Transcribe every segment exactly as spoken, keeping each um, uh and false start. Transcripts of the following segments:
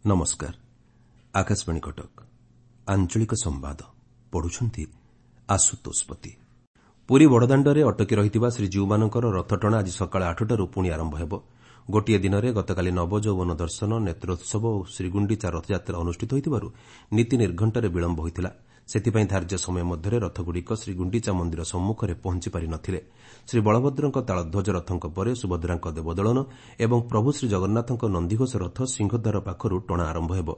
ନମସ୍କାର, ଆକାଶବାଣୀ କଟକ। ଆଞ୍ଚଳିକ ସମ୍ବାଦ ପଢୁଛନ୍ତି ଆଶୁତୋଷ ପତି। ପୁରୀ ବଡ଼ଦାଣ୍ଡରେ ଅଟକି ରହିଥିବା ଶ୍ରୀଜୀଉମାନଙ୍କର ରଥଟଣା ଆଜି ସକାଳ ଆଠଟାରୁ ପୁଣି ଆରମ୍ଭ ହେବ। ଗୋଟିଏ ଦିନରେ ଗତକାଲି ନବଯୌବନ ଦର୍ଶନ, ନେତ୍ରୋତ୍ସବ ଓ ଶ୍ରୀଗୁଣ୍ଡିଚା ରଥଯାତ୍ରା ଅନୁଷ୍ଠିତ ହୋଇଥିବାରୁ ନୀତି ନିର୍ଘଣ୍ଟରେ ବିଳମ୍ବ ହୋଇଥିଲା। ସେଥିପାଇଁ ଧାର୍ଯ୍ୟ ସମୟ ମଧ୍ୟରେ ରଥଗୁଡ଼ିକ ଶ୍ରୀଗୁଣ୍ଡିଚା ମନ୍ଦିର ସମ୍ମୁଖରେ ପହଞ୍ଚି ପାରି ନ ଥିଲେ। ଶ୍ରୀବଳଭଦ୍ରଙ୍କ ତାଳଧ୍ୱଜ ରଥଙ୍କ ପରେ ସୁଭଦ୍ରାଙ୍କ ଦେବଦଳନ ଏବଂ ପ୍ରଭୁ ଶ୍ରୀଜଗନ୍ନାଥଙ୍କ ନନ୍ଦିଘୋଷ ରଥ ସିଂହଦ୍ୱାର ପାଖରୁ ଟଣା ଆରମ୍ଭ ହେବ।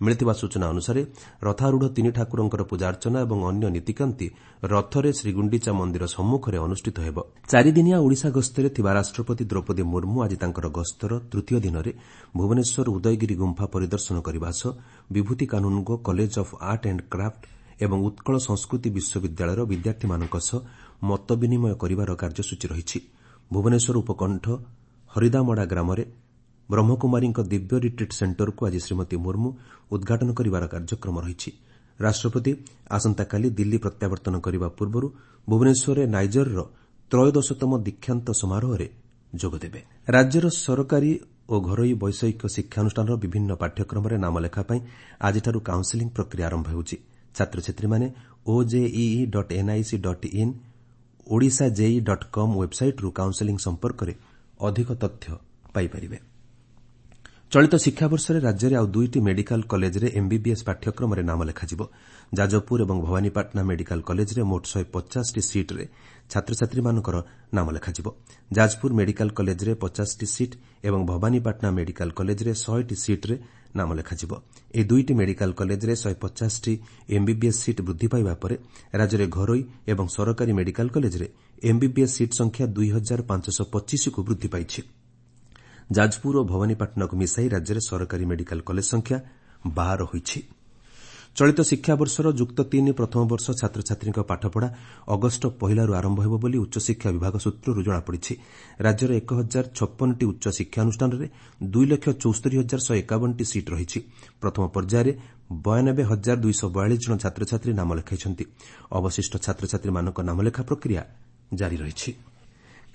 ମିଳିଥିବା ସୂଚନା ଅନୁସାରେ ରଥାରୂଢ଼ ତିନି ଠାକୁରଙ୍କର ପୂଜାର୍ଚ୍ଚନା ଏବଂ ଅନ୍ୟ ନୀତିକାନ୍ତି ରଥରେ ଶ୍ରୀଗୁଣ୍ଡିଚା ମନ୍ଦିର ସମ୍ମୁଖରେ ଅନୁଷ୍ଠିତ ହେବ। ଚାରିଦିନିଆ ଓଡ଼ିଶା ଗସ୍ତରେ ଥିବା ରାଷ୍ଟ୍ରପତି ଦ୍ରୌପଦୀ ମୁର୍ମୁ ଆଜି ତାଙ୍କର ଗସ୍ତର ତୃତୀୟ ଦିନରେ ଭୁବନେଶ୍ୱର ଉଦୟଗିରି ଗୁମ୍ଫା ପରିଦର୍ଶନ କରିବା ସହ Bibhuti Kanungo College of Art and Craft ଏବଂ ଉତ୍କଳ ସଂସ୍କୃତି ବିଶ୍ୱବିଦ୍ୟାଳୟର ବିଦ୍ୟାର୍ଥୀମାନଙ୍କ ସହ ମତ ବିନିମୟ କରିବାର କାର୍ଯ୍ୟସୂଚୀ ରହିଛି। ଭୁବନେଶ୍ୱର ଉପକଣ୍ଠ ହରିଦାମଡ଼ା ଗ୍ରାମରେ ବ୍ରହ୍ମକୁମାରୀଙ୍କ ଦିବ୍ୟ ରିଟ୍ରିଟ୍ ସେଣ୍ଟରକୁ ଆଜି ଶ୍ରୀମତୀ ମୁର୍ମୁ ଉଦ୍ଘାଟନ କରିବାର କାର୍ଯ୍ୟକ୍ରମ ରହିଛି। ରାଷ୍ଟ୍ରପତି ଆସନ୍ତାକାଲି ଦିଲ୍ଲୀ ପ୍ରତ୍ୟାବର୍ତ୍ତନ କରିବା ପୂର୍ବରୁ ଭୁବନେଶ୍ୱରରେ ନାଇଜରର ତ୍ରୟୋଦଶତମ ଦୀକ୍ଷାନ୍ତ ସମାରୋହରେ ଯୋଗଦେବେ। ରାଜ୍ୟର ସରକାରୀ ଓ ଘରୋଇ ବୈଷୟିକ ଶିକ୍ଷାନୁଷ୍ଠାନର ବିଭିନ୍ନ ପାଠ୍ୟକ୍ରମରେ ନାମଲେଖା ପାଇଁ ଆଜିଠାରୁ କାଉନ୍ସେଲିଂ ପ୍ରକ୍ରିୟା ଆରମ୍ଭ ହେଉଛି। ଛାତ୍ରଛାତ୍ରୀମାନେ OJEE dot NIC dot in, Odisha JEE dot com ୱେବ୍ସାଇଟ୍ରୁ counselling ସମ୍ପର୍କରେ ଅଧିକ ତଥ୍ୟ ପାଇପାରିବେ। ଚଳିତ ଶିକ୍ଷାବର୍ଷରେ ରାଜ୍ୟରେ ଆଉ ଦୁଇଟି ମେଡିକାଲ କଲେଜରେ ଏମ୍ବିବିଏସ୍ ପାଠ୍ୟକ୍ରମରେ ନାମ ଲେଖାଯିବ। ଯାଜପୁର ଏବଂ ଭବାନୀପାଟଣା ମେଡିକାଲ କଲେଜରେ ମୋଟ ଶହେ ପଚାଶଟି ସିଟ୍ରେ ଛାତ୍ରଛାତ୍ରୀମାନଙ୍କର ନାମ ଲେଖାଯିବ। ଯାଜପୁର ମେଡିକାଲ କଲେଜରେ ପଚାଶଟି ସିଟ୍ ଏବଂ ଭବାନୀପାଟଣା ମେଡିକାଲ କଲେଜରେ ଶହେଟି ସିଟ୍ରେ ନାମ ଲେଖାଯିବ। ଏହି ଦୁଇଟି ମେଡିକାଲ କଲେଜରେ ଶହେ ପଚାଶଟି ଏମ୍ବିବିଏସ୍ ସିଟ୍ ବୃଦ୍ଧି ପାଇବା ପରେ ରାଜ୍ୟରେ ଘରୋଇ ଏବଂ ସରକାରୀ ମେଡିକାଲ କଲେଜରେ ଏମ୍ବିବିଏସ୍ ସିଟ୍ ସଂଖ୍ୟା ଦୁଇ ହଜାର ପାଞ୍ଚଶହ ପଚିଶକୁ ବୃଦ୍ଧି ପାଇଛି। ଯାଜପୁର ଓ ଭବାନୀପାଟଣାକୁ ମିଶାଇ ରାଜ୍ୟରେ ସରକାରୀ ମେଡିକାଲ କଲେଜ ସଂଖ୍ୟା ବାର ହୋଇଛି। ଚଳିତ ଶିକ୍ଷାବର୍ଷର ଯୁକ୍ତ ତିନି ପ୍ରଥମ ବର୍ଷ ଛାତ୍ରଛାତ୍ରୀଙ୍କ ପାଠପଢ଼ା ଅଗଷ୍ଟ ପହିଲାରୁ ଆରମ୍ଭ ହେବ ବୋଲି ଉଚ୍ଚଶିକ୍ଷା ବିଭାଗ ସୂତ୍ରରୁ ଜଣାପଡ଼ିଛି। ରାଜ୍ୟର ଏକ ହଜାର ଛପନଟି ଉଚ୍ଚ ଶିକ୍ଷାନୁଷ୍ଠାନରେ ଦୁଇ ଲକ୍ଷ ଚଉସ୍ତରି ହଜାର ଶହେ ଏକାବନଟି ସିଟ୍ ରହିଛି। ପ୍ରଥମ ପର୍ଯ୍ୟାୟରେ ବୟାନବେ ହଜାର ଦୁଇଶହ ବୟାଳିଶ ଜଣ ଛାତ୍ରଛାତ୍ରୀ ନାମ ଲେଖାଇଛନ୍ତି। ଅବଶିଷ୍ଟ ଛାତ୍ରଛାତ୍ରୀମାନଙ୍କ ନାମଲେଖା ପ୍ରକ୍ରିୟା ଜାରି ରହିଛି।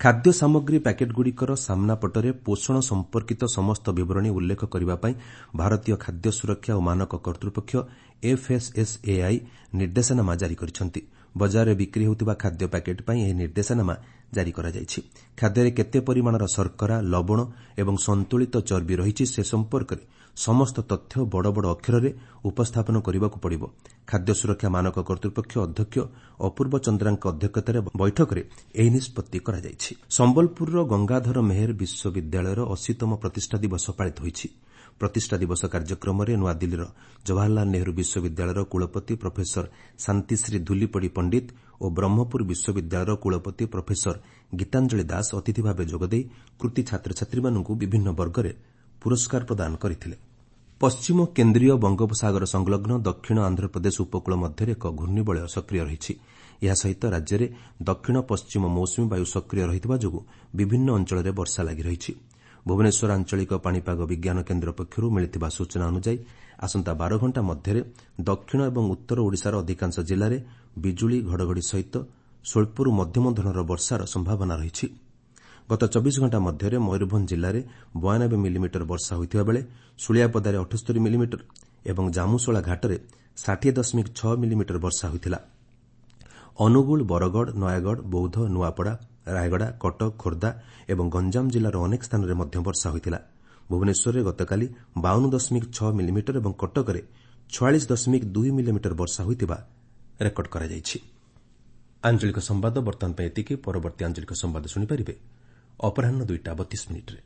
ଖାଦ୍ୟ ସାମଗ୍ରୀ ପ୍ୟାକେଟ୍ଗୁଡ଼ିକର ସାମ୍ନା ପଟରେ ପୋଷଣ ସମ୍ପର୍କିତ ସମସ୍ତ ବିବରଣୀ ଉଲ୍ଲେଖ କରିବା ପାଇଁ ଭାରତୀୟ ଖାଦ୍ୟ ସୁରକ୍ଷା ଓ ମାନକ କର୍ତ୍ତୃପକ୍ଷ ଏଫ୍ଏସ୍ଏସ୍ଏଆଇ ନିର୍ଦ୍ଦେଶନାମା ଜାରି କରିଛନ୍ତି। ବଜାରରେ ବିକ୍ରି ହେଉଥିବା ଖାଦ୍ୟ ପ୍ୟାକେଟ୍ ପାଇଁ ଏହି ନିର୍ଦ୍ଦେଶନାମା ଜାରି କରାଯାଇଛି। ଖାଦ୍ୟରେ କେତେ ପରିମାଣର ଶର୍କରା, ଲବଣ ଏବଂ ସନ୍ତୁଳିତ ଚର୍ବି ରହିଛି ସେ ସମ୍ପର୍କରେ ସମସ୍ତ ତଥ୍ୟ ବଡ଼ ବଡ଼ ଅକ୍ଷରରେ ଉପସ୍ଥାପନ କରିବାକୁ ପଡ଼ିବ। ଖାଦ୍ୟ ସୁରକ୍ଷା ମାନକ କର୍ତ୍ତୃପକ୍ଷ ଅଧ୍ୟକ୍ଷ ଅପୂର୍ବ ଚନ୍ଦ୍ରାଙ୍କ ଅଧ୍ୟକ୍ଷତାରେ ବୈଠକରେ ଏହି ନିଷ୍ପତ୍ତି କରାଯାଇଛି। ସମ୍ବଲପୁରର ଗଙ୍ଗାଧର ମେହେର ବିଶ୍ୱବିଦ୍ୟାଳୟର ଅଶୀତମ ପ୍ରତିଷ୍ଠା ଦିବସ ପାଳିତ ହୋଇଛି। ପ୍ରତିଷ୍ଠା ଦିବସ କାର୍ଯ୍ୟକ୍ରମରେ ନୂଆଦିଲ୍ଲୀର ଜବାହରଲାଲ ନେହେରୁ ବିଶ୍ୱବିଦ୍ୟାଳୟର କୁଳପତି ପ୍ରଫେସର ଶାନ୍ତିଶ୍ରୀ ଧୁଲିପଡ଼ି ପଣ୍ଡିତ ଓ ବ୍ରହ୍ମପୁର ବିଶ୍ୱବିଦ୍ୟାଳୟର କୁଳପତି ପ୍ରଫେସର ଗୀତାଞ୍ଜଳି ଦାସ ଅତିଥି ଭାବେ ଯୋଗଦେଇ କୃତି ଛାତ୍ରଛାତ୍ରୀମାନଙ୍କୁ ବିଭିନ୍ନ ବର୍ଗରେ ପୁରସ୍କାର ପ୍ରଦାନ କରିଥିଲେ। ପଶ୍ଚିମ କେନ୍ଦ୍ରୀୟ ବଙ୍ଗୋପସାଗର ସଂଲଗ୍ନ ଦକ୍ଷିଣ ଆନ୍ଧ୍ରପ୍ରଦେଶ ଉପକୂଳ ମଧ୍ୟରେ ଏକ ଘୂର୍ଣ୍ଣିବଳୟ ସକ୍ରିୟ ରହିଛି। ଏହା ସହିତ ରାଜ୍ୟରେ ଦକ୍ଷିଣ ପଶ୍ଚିମ ମୌସୁମୀ ବାୟୁ ସକ୍ରିୟ ରହିଥିବା ଯୋଗୁଁ ବିଭିନ୍ନ ଅଞ୍ଚଳରେ ବର୍ଷା ଲାଗି ରହିଛି। ଭୁବନେଶ୍ୱର ଆଞ୍ଚଳିକ ପାଣିପାଗ ବିଜ୍ଞାନ କେନ୍ଦ୍ର ପକ୍ଷରୁ ମିଳିଥିବା ସୂଚନା ଅନୁଯାୟୀ ଆସନ୍ତା ବାର ଘଣ୍ଟା ମଧ୍ୟରେ ଦକ୍ଷିଣ ଏବଂ ଉତ୍ତର ଓଡ଼ିଶାର ଅଧିକାଂଶ ଜିଲ୍ଲାରେ ବିଜୁଳି, ଘଡ଼ଘଡ଼ି ସହିତ ସ୍ୱଳ୍ପରୁ ମଧ୍ୟମ ଧରଣର ବର୍ଷାର ସମ୍ଭାବନା ରହିଛି। ଗତ ଚବିଶ ଘଣ୍ଟା ମଧ୍ୟରେ ମୟୂରଭଞ୍ଜ ଜିଲ୍ଲାରେ ବୟାନବେ ମିଲିମିଟର ବର୍ଷା ହୋଇଥିବା ବେଳେ ଶୁଳିଆପଦାରେ ଅଠସ୍ତରି ମିଲିମିଟର ଏବଂ ଜାମୁଶୋଳା ଘାଟରେ ଷାଠିଏ ଦଶମିକ ଛଅ ମିଲିମିଟର ବର୍ଷା ହୋଇଥିଲା। ଅନୁଗୁଳ, ବରଗଡ଼, ନୟାଗଡ଼, ବୌଦ୍ଧ, ନୂଆପଡ଼ା, ରାୟଗଡ଼ା, କଟକ, ଖୋର୍ଦ୍ଧା ଏବଂ ଗଞ୍ଜାମ ଜିଲ୍ଲାର ଅନେକ ସ୍ଥାନରେ ମଧ୍ୟ ବର୍ଷା ହୋଇଥିଲା। ଭୁବନେଶ୍ୱରରେ ଗତକାଲି ବାଉନ ଦଶମିକ ଛଅ ମିଲିମିଟର ଏବଂ କଟକରେ ଛୟାଳିଶ ଦଶମିକ ଦୁଇ ମିଲିମିଟର ବର୍ଷା ହୋଇଥିବା ରେକର୍ଡ କରାଯାଇଛି। ଆଞ୍ଚଳିକ ସମ୍ବାଦ ବର୍ତ୍ତମାନ ପାଇଁ ଏତିକି। ପରବର୍ତ୍ତୀ ଆଞ୍ଚଳିକ ସମ୍ବାଦ ଶୁଣିପାରିବେ ଅପରାହ୍ନ ଦୁଇଟା ବତିଶ ମିନିଟ୍ରେ।